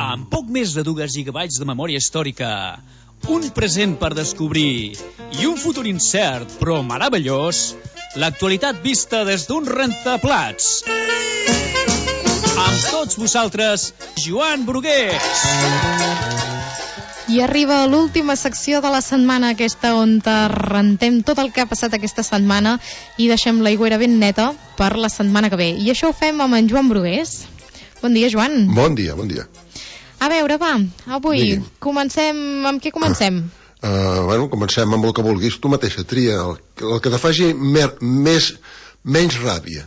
Amb poc més de 2 gigabytes de memòria històrica, un present per descobrir i un futur incert però meravellós, l'actualitat vista des d'un rentaplats. Amb tots vosaltres, Joan Brugués. I arriba l'última secció de la setmana, aquesta on rentem tot el que ha passat aquesta setmana i deixem l'aigüera ben neta per la setmana que ve. I això ho fem amb en Joan Brugués. Bon dia, Joan. Bon dia, bon dia. A veure, va, avui comencem... Amb què comencem? Comencem amb el que vulguis. Tu mateixa, tria el que te faci menys ràbia.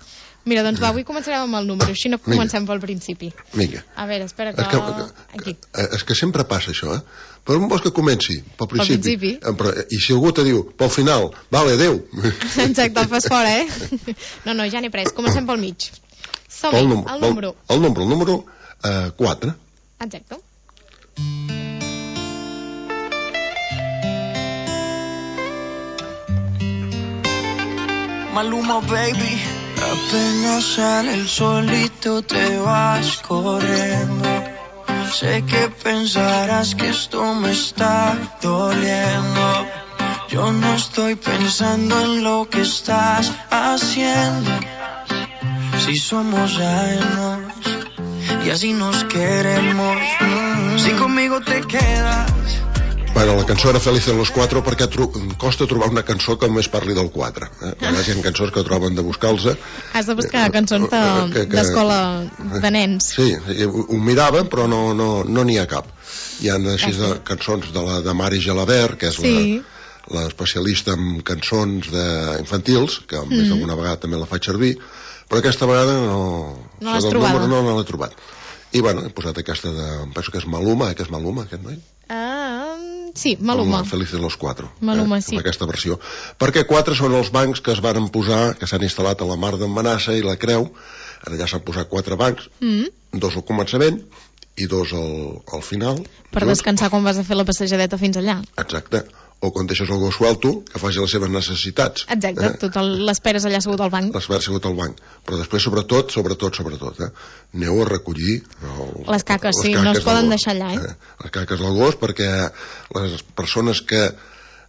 Mira, doncs va, avui començarem amb el número, així no comencem pel principi. Vinga. A veure, espera que... Aquí. És que sempre passa això, Però on vols que comenci? Pel principi. I si algú te diu, pel final, vale, adeu. Exacte, el fas fora, No, ja n'he pres, comencem pel mig. Som-hi, el número. El número 4. Exacte. Maluma, baby. Apenas sale el solito te vas corriendo. Sé que pensarás que esto me está doliendo. Yo no estoy pensando en lo que estás haciendo. Si somos ajenos y así nos queremos. Si conmigo te quedas. Bueno, la cançó era Feliz en los 4 perquè costa trobar una cançó que només parli del 4. A vegades hi ha cançons que troben de buscar-los. Has de buscar cançons d'escola de nens. Sí, ho mirava, però no n'hi ha cap. Hi ha així cançons de Mari Gelabert, que és l'especialista en cançons infantils, que més d'alguna vegada també la faig servir, però aquesta vegada no l'has trobat. No l'he trobat. I bueno, he posat aquesta penso que és Maluma, aquest noi? Sí, Maluma. Feliz en los 4. Maluma, sí. Aquesta versió. Perquè 4 són els bancs que es van posar, que s'han instal·lat a la Mar d'en Manassa i la Creu. Allà s'han posat 4 bancs, 2 al començament i 2 al final. Per descansar quan vas a fer la passejadeta fins allà. Exacte. O quan deixes el gos suelto, que faci les seves necessitats. Exacte, l'esperes allà assegut al banc. L'esperes assegut al banc. Però després, sobretot, aneu a recollir les caques, sí, no es poden deixar allà, les caques del gos, perquè les persones que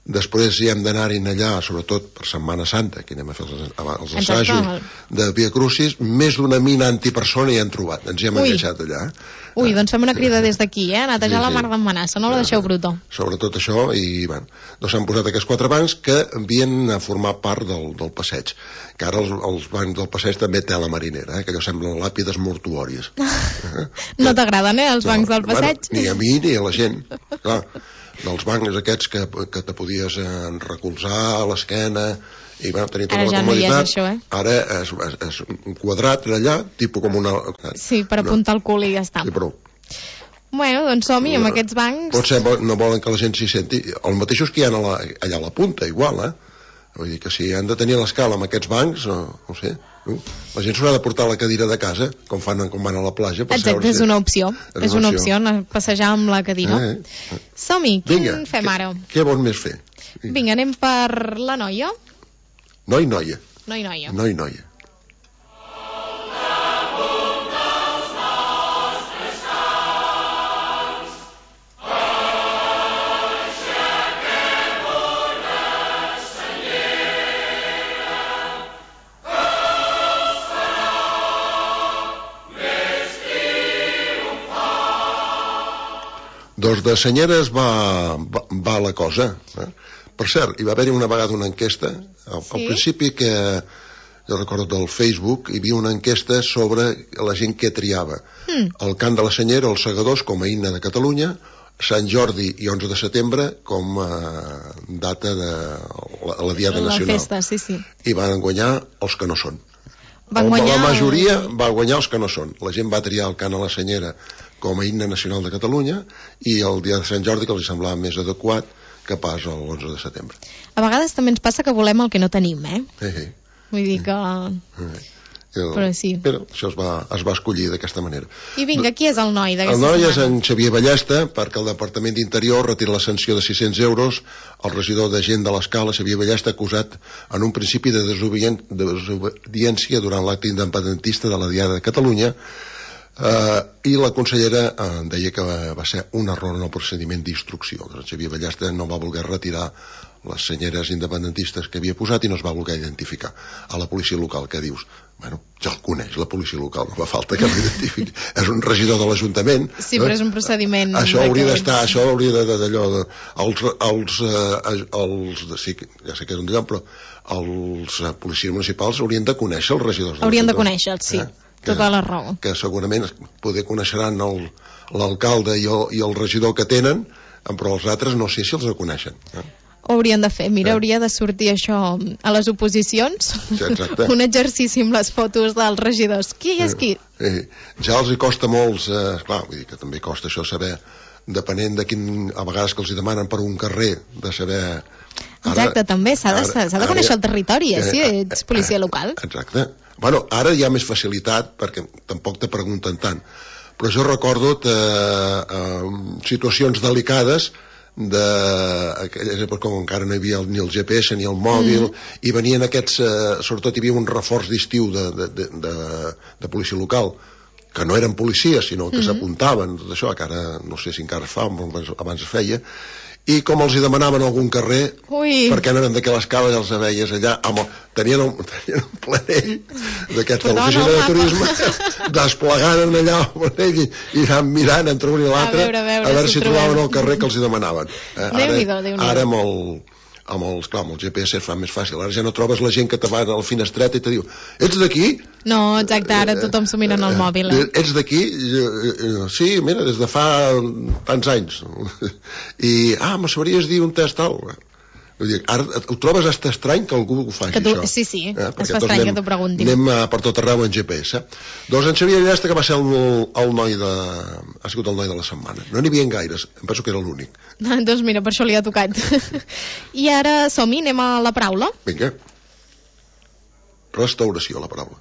després hi hem d'anar-hi allà, sobretot per Setmana Santa, que anem a fer els assajos de Via Crucis, més d'una mina antipersona hi hem trobat, ens hi hem enganxat allà. Ui, doncs fem una crida des d'aquí, a netejar la Mar d'en Manassa, no la deixeu bruta. Sobretot això, i bueno, doncs s'han posat aquests 4 bancs que havien a formar part del passeig, que ara els bancs del passeig també té la marinera, que allò semblen làpides mortuòries. No t'agraden, els bancs del passeig? Ni a mi ni a la gent, clar. Dels bancs aquests que te podies recolzar a l'esquena i tenir tota la comoditat. Ara és un quadrat allà, tipus com una... Sí, per apuntar el cul i ja està. Sí, prou. Bueno, doncs som-hi amb aquests bancs. Potser no volen que la gent s'hi senti. Els mateixos que hi ha allà a la punta, igual, Vull dir que si han de tenir l'escala amb aquests bancs, no sé, la gent s'haurà de portar la cadira de casa, com van a la platja. Exacte, és una opció. És una opció, passejar amb la cadira. Som-hi, quin fem ara? Què vols més fer? Vinga, anem per la noia. Noia. Noia. 2 de senyeres va la cosa. Per cert, hi va haver una vegada una enquesta, al principi que jo recordo del Facebook, hi havia una enquesta sobre la gent que triava. El cant de la senyera, els segadors, com a himne de Catalunya, Sant Jordi i 11 de setembre com a data de la Diada Nacional. La festa, sí. I van guanyar els que no són. La majoria va guanyar els que no són. La gent va triar el cant a la senyera com a himne nacional de Catalunya i el dia de Sant Jordi, que els semblava més adequat que pas l'11 de setembre. A vegades també ens passa que volem el que no tenim, Vull dir que... Però sí. Però això es va escollir d'aquesta manera. I vinga, qui és el noi d'aquesta setmana? El noi és en setmana? Xavier Ballesta, perquè el Departament d'Interior retira la sanció de 600 euros al regidor de Gent de l'Escala, Xavier Ballesta, acusat en un principi de desobediència durant l'acte independentista de la Diada de Catalunya, I la consellera deia que va ser un error en el procediment d'instrucció, que el Xavier Ballesta no va voler retirar les senyeres independentistes que havia posat i no es va voler identificar a la policia local, que dius, bueno, ja el coneix la policia local, no fa falta que l'identifiqui, és un regidor de l'Ajuntament. Sí, però és un procediment això hauria d'estar, això hauria d'allò sí, ja sé que és un lloc, però els policies municipals haurien de conèixer els regidors, haurien de conèixer, sí, tota la raó, que segurament poder coneixeran l'alcalde i el regidor que tenen, però els altres no sé si els coneixen. Ho haurien de fer, mira, hauria de sortir això a les oposicions, un exercici amb les fotos dels regidors, qui és qui? Ja els hi costa molts, clar, vull dir que també costa això saber, depenent de quin, a vegades que els hi demanen per un carrer, de saber... Exacte, també s'ha de conèixer el territori, si ets policia local. Exacte. Bueno, ara hi ha més facilitat, perquè tampoc te pregunten tant, però jo recordo situacions delicades d'aquelles èpoques com encara no hi havia ni el GPS ni el mòbil, i venien aquests, sobretot hi havia un reforç d'estiu de policia local, que no eren policies sinó que s'apuntaven, tot això que ara no sé si encara es fa, abans es feia, i com els hi demanaven algun carrer, perquè no eren d'aquelles caves, els veies allà, tenien un planell d'aquests de l'oficina de turisme, desplegant allà el planell i anant mirant entre un i l'altre a veure si trobaven el carrer que els hi demanaven. Ara amb el GPS es fa més fàcil, ara ja no trobes la gent que te va a la finestreta i te diu, ets d'aquí? No, exacte, ara tothom s'ho mira en el mòbil. Ets d'aquí? Sí, mira, des de fa tants anys. I, me sabries dir un test tal? Vull dir, ara ho trobes hasta estrany que algú ho faci, això. Sí, es fa estrany que t'ho preguntin. Anem per tot arreu en GPS. Doncs en Xavier Ballesta, que va ser el noi ha sigut el noi de la setmana. No n'hi havia gaires, em penso que era l'únic. Doncs mira, per això li ha tocat. I ara som-hi, anem a la paraula. Vinga. Restauració, la paraula.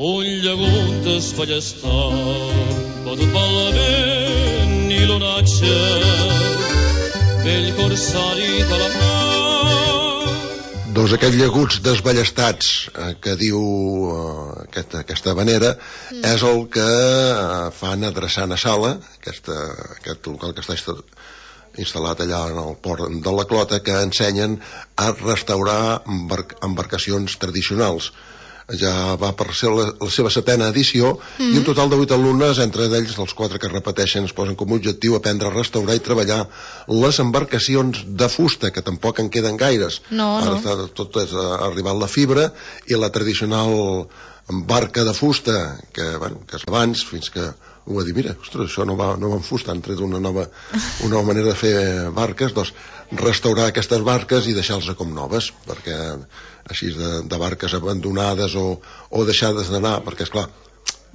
Un llagut desballestat, batut pel vent i l'onatge, vell corsari de la mar. Doncs aquests llaguts desballestats que diu aquesta havanera és el que fan adreçant a Sala, aquest local que està instal·lat allà en el port de la Clota, que ensenyen a restaurar embarcacions tradicionals. Ja va per ser la seva 7ª edició i un total de 8 alumnes, entre ells els 4 que repeteixen, es posen com a objectiu aprendre a restaurar i treballar les embarcacions de fusta, que tampoc en queden gaires. Ara tot és arribat la fibra i la tradicional barca de fusta que és abans, fins que ho va dir, mira, ostres, això no va en fusta, han tret una nova manera de fer barques. Doncs restaurar aquestes barques i deixar-les com noves, perquè així de barques abandonades o deixades d'anar, perquè esclar,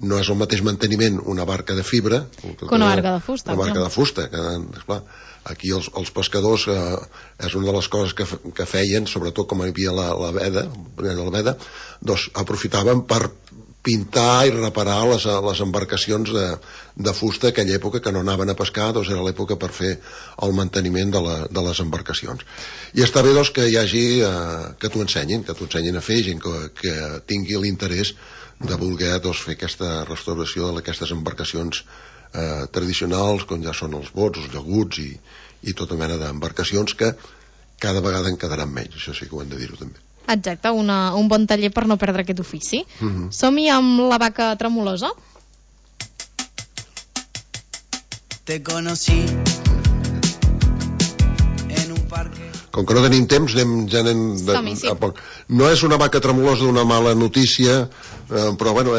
no és el mateix manteniment una barca de fibra que una barca de fusta. Una barca de fusta, que esclar, aquí els pescadors és una de les coses que feien, sobretot com hi havia la veda, doncs aprofitaven per pintar i reparar les embarcacions de fusta aquella època que no anaven a pescar, doncs era l'època per fer el manteniment de les embarcacions. I està bé doncs que hi hagi que t'ho ensenyin a fer, gent que tingui l'interès de voler fer aquesta restauració d'aquestes embarcacions tradicionals, com ja són els bots, els llaguts i tota mena d'embarcacions que cada vegada en quedaran menys, això sí que ho hem de dir-ho també. Exacte, un bon taller per no perdre aquest ofici. Som-hi amb la vaca tremolosa. Te conocí en un parque. Com que no tenim temps, anem a poc. No és una vaca tremolosa d'una mala notícia, però bueno,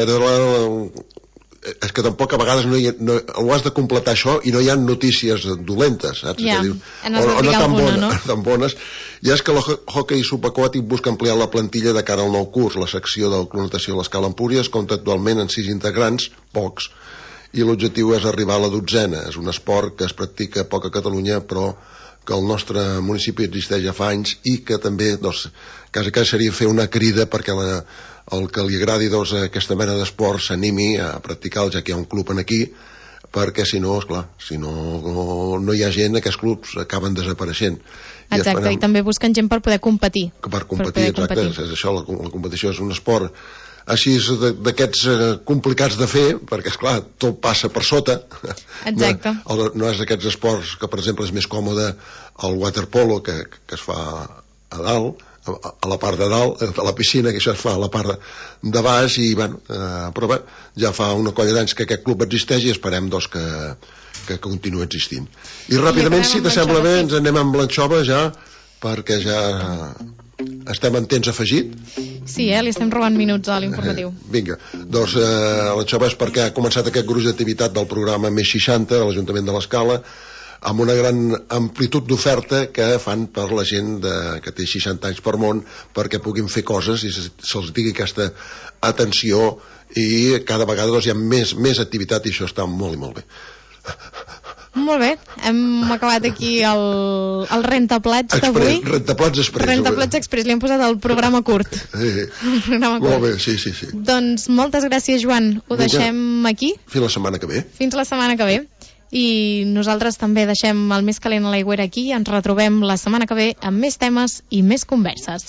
és que tampoc a vegades ho has de completar això i no hi ha notícies dolentes, saps? O no tan bones. I és que l'hoquei subaquàtic busca ampliar la plantilla de cara al nou curs. La secció de clonació a l'Escala Empúries compta actualment en 6 integrants, pocs, i l'objectiu és arribar a la 12ª. És un esport que es practica poc a Catalunya, però que al nostre municipi existeix ja fa anys i que també, doncs, quasi seria fer una crida perquè el que li agradi doncs, aquesta mena d'esport s'animi a practicar, ja que hi ha un club en aquí, perquè si no, esclar, si no hi ha gent, aquests clubs acaben desapareixent. Exacte, i també busquen gent per poder competir. Per competir, exacte, és això, la competició és un esport així d'aquests complicats de fer, perquè esclar, tot passa per sota. Exacte. No és d'aquests esports que per exemple és més còmode el waterpolo, que es fa a dalt, a la part de dalt de la piscina, que això es fa a la part de baix, i bueno, però bé, ja fa una colla d'anys que aquest club existeix i esperem doncs que continuï existint. I ràpidament, si t'assembla bé, ens anem amb l'anxova ja, perquè ja estem en temps afegit. Sí, li estem robant minuts a l'informatiu. Vinga, doncs l'anxova és perquè ha començat aquest gruix d'activitat del programa Més 60 de l'Ajuntament de l'Escala, amb una gran amplitud d'oferta que fan per la gent que té 60 anys per món, perquè puguin fer coses i se'ls digui aquesta atenció, i cada vegada doncs, hi ha més activitat, i això està molt i molt bé. Molt bé, hem acabat aquí el Rentaplats d'avui. Rentaplats Express. Rentaplats Express, li hem posat el programa curt. Molt bé, sí. Doncs moltes gràcies, Joan. Ho deixem aquí. Fins la setmana que ve. Fins la setmana que ve. I nosaltres també deixem el més calent a l'aigüera aquí i ens retrobem la setmana que ve amb més temes i més converses.